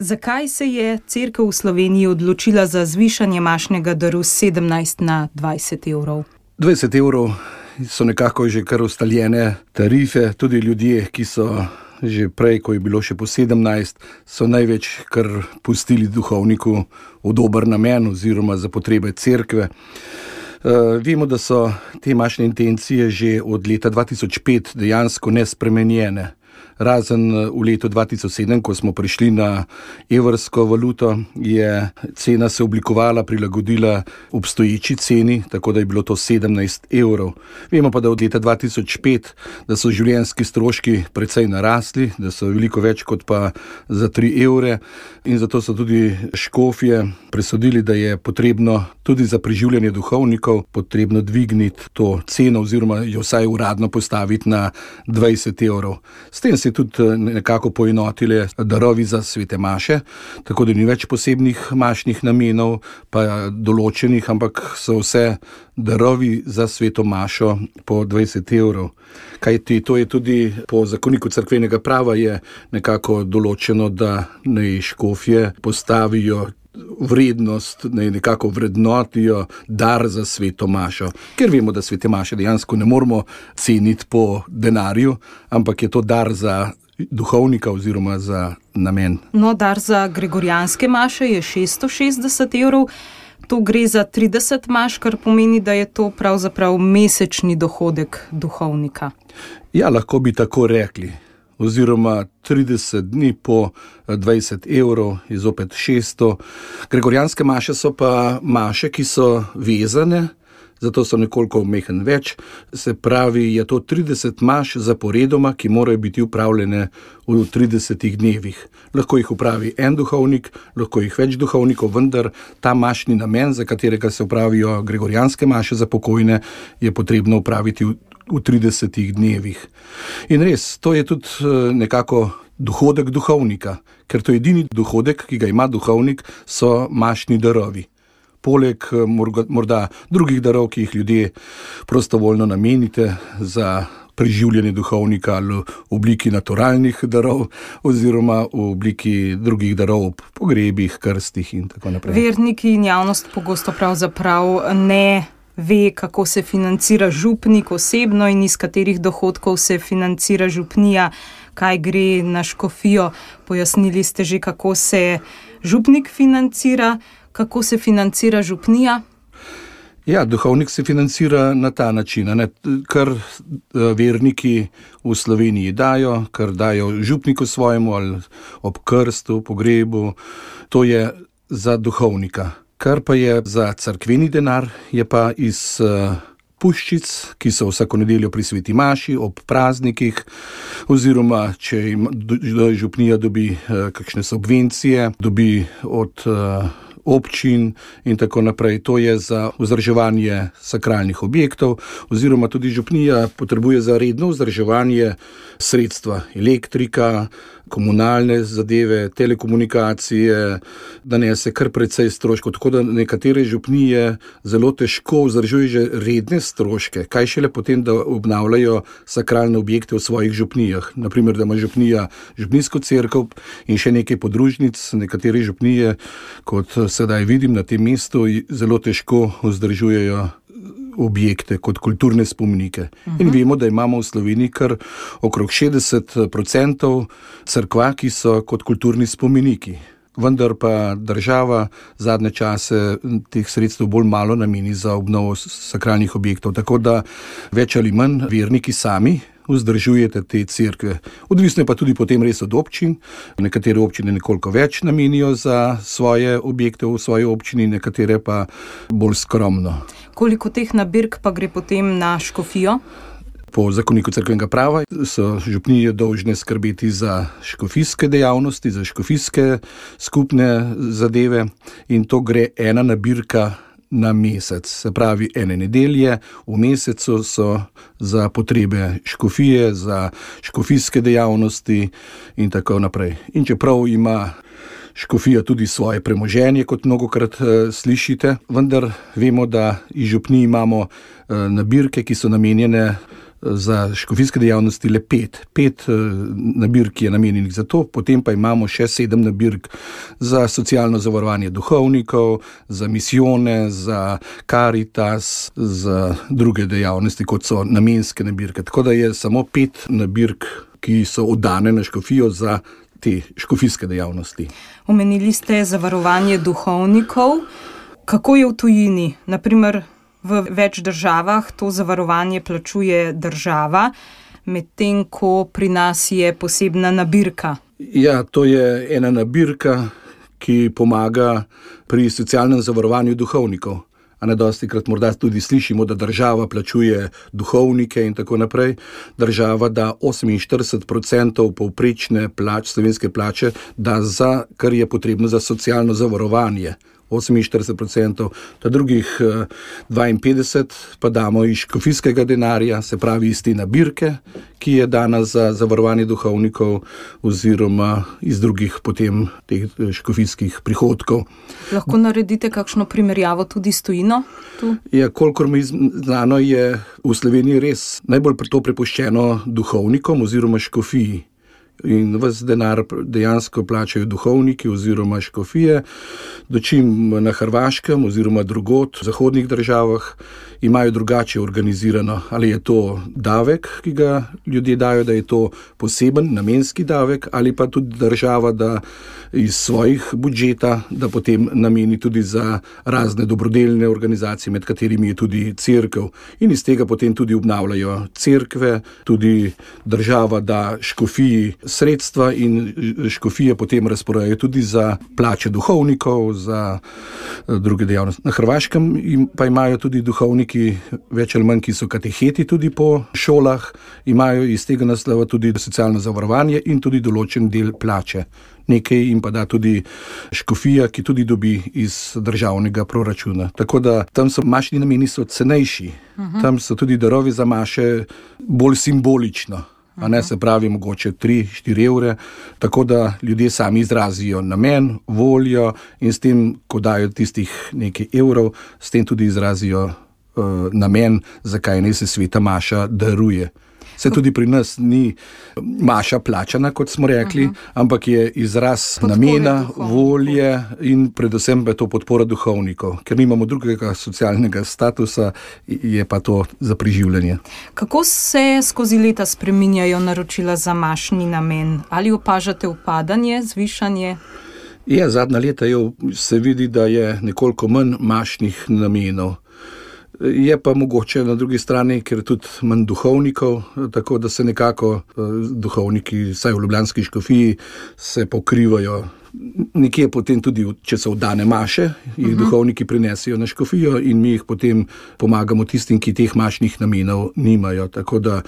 Zakaj se je cerkev v Sloveniji odločila za zvišanje mašnega daru s 17 na 20 evrov? 20 evrov so nekako že kar ustaljene tarife, tudi ljudje, ki so že prej, ko je bilo še po 17, so največ kar pustili duhovniku v dober namen oziroma za potrebe cerkve. Vemo, da so te mašne intencije že od leta 2005 dejansko nespremenjene. Razen v letu 2007, ko smo prišli na evrsko valuto, je cena se oblikovala, prilagodila obstoječi ceni, tako da je bilo to 17 evrov. Vemo pa, da od leta 2005, da so življenjski stroški precej narasli, da so veliko več kot pa za 3 evre in zato so tudi škofje presodili, da je potrebno tudi za preživljanje duhovnikov potrebno dvigniti to ceno oziroma jo vsaj uradno postaviti na 20 evrov. S tem se je tudi nekako poenotile darovi za svete maše, tako da ni več posebnih mašnih namenov, pa določenih, ampak so vse darovi za sveto mašo po 20 evrov. Kajti to je tudi po zakoniku cerkvenega prava je nekako določeno, da naj škofje postavijo vrednost, nekako vrednotijo dar za sveto mašo. Ker vemo, da svete maše dejansko ne moramo ceniti po denarju, ampak je to dar za duhovnika oziroma za namen. No, dar za gregorijanske maše je 660 evrov. To gre za 30 maš, kar pomeni, da je to pravzaprav mesečni dohodek duhovnika. Ja, lahko bi tako rekli. Oziroma 30 dni po 20 evrov je zopet 600. Gregorijanske maše so pa maše, ki so vezane, zato so nekoliko mehen več. Se pravi, je to 30 maš zaporedoma, ki morajo biti upravljene v 30 dnevih. Lahko jih upravi en duhovnik, lahko jih več duhovnikov, vendar ta mašni namen, za katerega se upravijo gregorijanske maše za pokojne, je potrebno upraviti v 30 dnevih. In res, to je tudi nekako dohodek duhovnika, ker to je edini dohodek, ki ga ima duhovnik, so mašni darovi. Poleg morda drugih darov, ki jih ljudje prostovoljno namenite za preživljanje duhovnika ali v obliki naturalnih darov oziroma v obliki drugih darov ob pogrebih, krstih in tako naprej. Verniki in javnost pogosto pravzaprav ne ve, kako se financira župnik osebno in iz katerih dohodkov se financira župnija, kaj gre na škofijo. Pojasnili ste že, kako se župnik financira, kako se financira župnija? Ja, duhovnik se financira na ta način, kar verniki v Sloveniji dajo, kar dajo župniku svojemu ali ob krstu, pogrebu, to je za duhovnika. Kar pa je za cerkveni denar, je pa iz puščic, ki so vsako nedeljo pri sveti maši, ob praznikih, oziroma če župnija dobi kakšne subvencije, dobi od občin in tako naprej. To je za vzdrževanje sakralnih objektov, oziroma tudi župnija potrebuje za redno vzdrževanje sredstva, elektrika, komunalne zadeve, telekomunikacije, da nese kar precej stroškov, tako da nekatere župnije zelo težko vzdržujejo že redne stroške, kaj šele potem, da obnavljajo sakralne objekte v svojih župnijah. Naprimer, da ima župnija župnijsko cerkev in še nekaj podružnic, nekatere župnije, kot sedaj vidim na tem mestu, zelo težko vzdržujejo objekte kot kulturne spomenike. In vemo, da imamo v Sloveniji kar okrog 60% cerkva, ki so kot kulturni spomeniki. Vendar pa država zadnje čase teh sredstev bolj malo nameni za obnovo sakralnih objektov, tako da več ali manj verniki sami vzdržujete te cerkve. Odvisno je pa tudi potem res od občin. Nekatere občine nekoliko več namenijo za svoje objekte v svoji občini, nekatere pa bolj skromno. Koliko teh nabirk pa gre potem na škofijo? Po zakoniku cerkvenega prava so župnije dolžne skrbeti za škofijske dejavnosti, za škofijske skupne zadeve in to gre ena nabirka na mesec. Se pravi, ene nedelje v mesecu so za potrebe škofije, za škofijske dejavnosti in tako naprej. In čeprav ima škofija tudi svoje premoženje, kot mnogokrat slišite, vendar vemo, da iz župnij imamo nabirke, ki so namenjene za škofijske dejavnosti le 5. 5 nabirk je namenjenih za to, potem pa imamo še 7 nabirk za socialno zavarovanje duhovnikov, za misijone, za Karitas, za druge dejavnosti, kot so namenske nabirke. Tako da je samo 5 nabirk, ki so oddane na škofijo za te škofijske dejavnosti. Omenili ste zavarovanje duhovnikov. Kako je v tujini? Naprimer, v več državah to zavarovanje plačuje država, medtem ko pri nas je posebna nabirka. Ja, to je ena nabirka, ki pomaga pri socialnem zavarovanju duhovnikov. A ne dostikrat morda tudi slišimo, da država plačuje duhovnike in tako naprej. Država da 48% povprečne slovenske plače da za, kar je potrebno za socialno zavarovanje. 48%, ta drugih 52% pa damo iz škofijskega denarja, se pravi iz te nabirke, ki je dana za zavarovanje duhovnikov oziroma iz drugih potem teh škofijskih prihodkov. Lahko naredite kakšno primerjavo tudi s tujino? Ja, kolikor mi znano je v Sloveniji res najbolj to prepuščeno duhovnikom oziroma škofiji. In ves denar dejansko plačajo duhovniki oziroma škofije, dočim na Hrvaškem oziroma drugod v zahodnih državah imajo drugače organizirano. Ali je to davek, ki ga ljudje dajo, da je to poseben namenski davek, ali pa tudi država, da iz svojih budžeta, da potem nameni tudi za razne dobrodelne organizacije, med katerimi je tudi cerkev. In iz tega potem tudi obnavljajo cerkve, tudi država da škofiji sredstva in škofije potem razporejajo tudi za plače duhovnikov, za druge dejavnosti. Na Hrvaškem pa imajo tudi duhovniki več ali manj, ki so kateheti tudi po šolah, imajo iz tega naslova tudi socialno zavarovanje in tudi določen del plače. Nekaj jim pa da tudi škofija, ki tudi dobi iz državnega proračuna. Tako da tam so mašni nameni so cenejši. Tam so tudi darovi za maše bolj simbolično. A ne, se pravi mogoče 3-4 evre, tako da ljudje sami izrazijo namen, voljo in s tem, ko dajo tistih nekaj evrov, s tem tudi izrazijo namen, zakaj naj se sveta maša daruje. Se tudi pri nas ni maša plačana, kot smo rekli, ampak je izraz namena, volje in predvsem je to podpora duhovnikov. Ker nimamo drugega socialnega statusa, je pa to za preživljanje. Kako se skozi leta spreminjajo naročila za mašni namen? Ali opažate upadanje, zvišanje? Ja, zadnja leta se vidi, da je nekoliko manj mašnih namenov. Je pa mogoče na drugi strani, ker je tudi manj duhovnikov, tako da se nekako duhovniki, vsaj v ljubljanski škofiji, se pokrivajo. Nekje potem tudi, če so oddane maše, jih duhovniki prinesejo na škofijo in mi jih potem pomagamo tistim, ki teh mašnih namenov nimajo. Tako da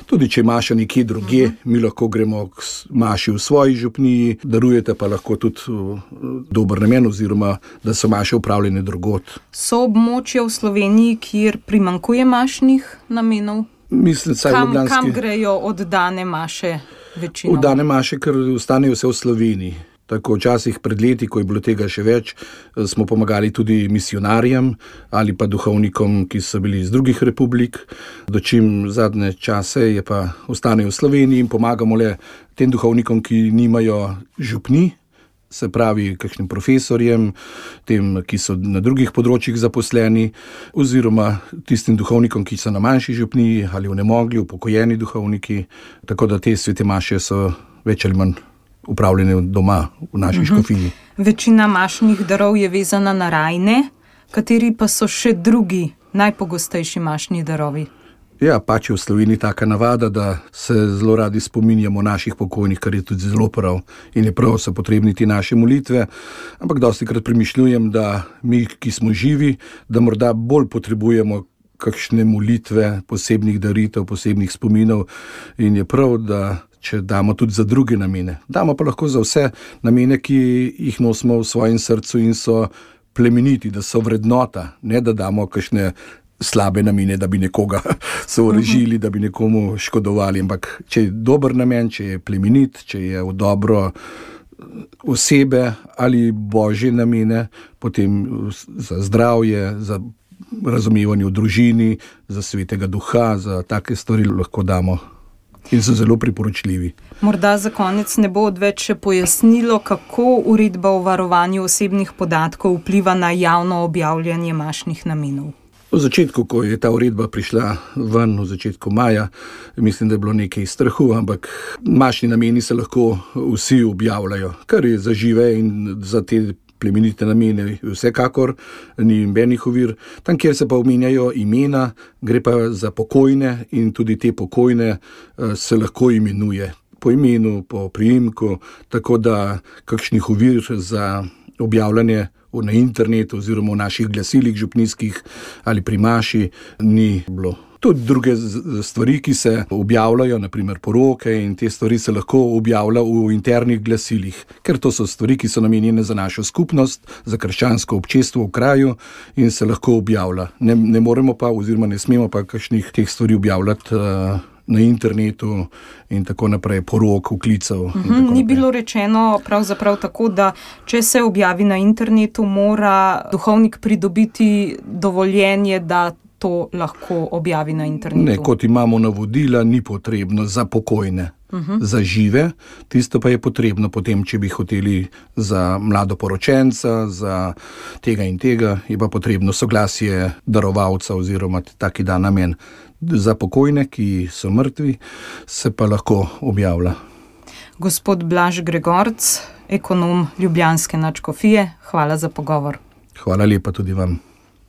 tudi, če maša nekje drugje, mi lahko gremo k maši v svoji župniji, darujete pa lahko tudi dober namen oziroma, da so maše upravljene drugod. So območja v Sloveniji, kjer primanjkuje mašnih namenov? Mislim, kam grejo oddane maše večino? Oddane maše, ker ostanejo vse v Sloveniji. Tako včasih pred leti, ko je bilo tega še več, smo pomagali tudi misionarjem ali pa duhovnikom, ki so bili iz drugih republik. Dočim zadnje čase je pa ostanejo v Sloveniji in pomagamo le tem duhovnikom, ki nimajo župni, se pravi kakšnim profesorjem, tem, ki so na drugih področjih zaposleni, oziroma tistim duhovnikom, ki so na manjši župniji ali onemogli, upokojeni duhovniki. Tako da te svete maše so več ali manj upravljene doma v naši škofiji. Večina mašnih darov je vezana na rajne, kateri pa so še drugi najpogostejši mašni darovi? Ja, pač je v Sloveniji taka navada, da se zelo radi spominjamo naših pokojnih, kar je tudi zelo prav in je prav, so potrebni te naše molitve, ampak dostikrat premišljujem, da mi, ki smo živi, da morda bolj potrebujemo kakšne molitve, posebnih daritev, posebnih spominov in je prav, da če damo tudi za druge namene. Damo pa lahko za vse namene, ki jih nosimo v svojem srcu in so plemeniti, da so vrednota, ne da damo kakšne slabe namene, da bi nekoga sovražili, da bi nekomu škodovali, ampak če je dober namen, če je plemenit, če je v dobro osebe ali božje namene, potem za zdravje, za razumevanje v družini, za svetega duha, za take stvari lahko damo in so zelo priporočljivi. Morda za konec ne bo odveč še pojasnilo, kako uredba o varovanju osebnih podatkov vpliva na javno objavljanje mašnih namenov. V začetku, ko je ta uredba prišla ven, v začetku maja, mislim, da je bilo nekaj strahu, ampak mašni nameni se lahko vsi objavljajo, kar je za žive in za te plemenite namene vsekakor ni nobenih ovir. Tam, kjer se pa omenjajo imena, gre pa za pokojne in tudi te pokojne se lahko imenuje po imenu, po priimku, tako da kakšnih ovir za objavljanje na internetu oziroma v naših glasilih župnijskih ali pri maši ni bilo. Tudi druge stvari, ki se objavljajo, naprimer poroke in te stvari se lahko objavlja v internih glasilih, ker to so stvari, ki so namenjene za našo skupnost, za krščansko občestvo v kraju in se lahko objavlja. Ne moremo pa oziroma ne smemo pa kakšnih teh stvari objavljati na internetu in tako naprej, porok, vklicev. Ni bilo rečeno pravzaprav tako, da če se objavi na internetu, mora duhovnik pridobiti dovoljenje, da to lahko objavi na internetu. Ne, kot imamo navodila, ni potrebno za pokojne. Za žive, tisto pa je potrebno potem, če bi hoteli za mladoporočenca, za tega in tega, je pa potrebno soglasje darovalca oziroma taki dan namen. Za pokojne, ki so mrtvi, se pa lahko objavlja. Gospod Blaž Gregorc, ekonom ljubljanske nadškofije, hvala za pogovor. Hvala lepa tudi vam.